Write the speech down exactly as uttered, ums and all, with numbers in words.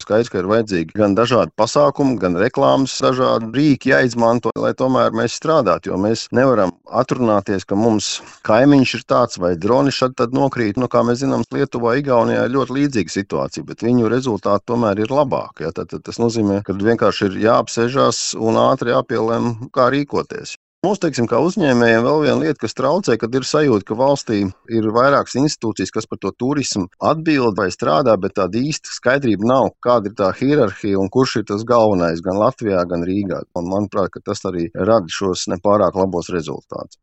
Skaidrs, ka ir vajadzīgi gan dažādi pasākumi, gan reklāmas, dažādi rīki jāizmanto, lai tomēr mēs strādātu, jo mēs nevaram atrunāties, ka mums kaimiņš ir tāds vai droni šad tad nokrīt. Nu, kā mēs zinām, Lietuvā, Igaunijā ir ļoti līdzīga situācija, bet viņu rezultāti tomēr ir labāki. Ja? Tad, tad tas nozīmē, ka vienkārši ir jāapsēžās un ātri jāpielem, kā rīkoties. Mums, teiksim, kā uzņēmējiem, vēl viena lieta, kas traucē, kad ir sajūta, ka valstī ir vairākas institūcijas, kas par to turismu atbild vai strādā, bet tāda īsta skaidrība nav, kāda ir tā hierarhija un kurš ir tas galvenais gan Latvijā, gan Rīgā. Un manuprāt, ka tas arī rada šos nepārāk labos rezultātus.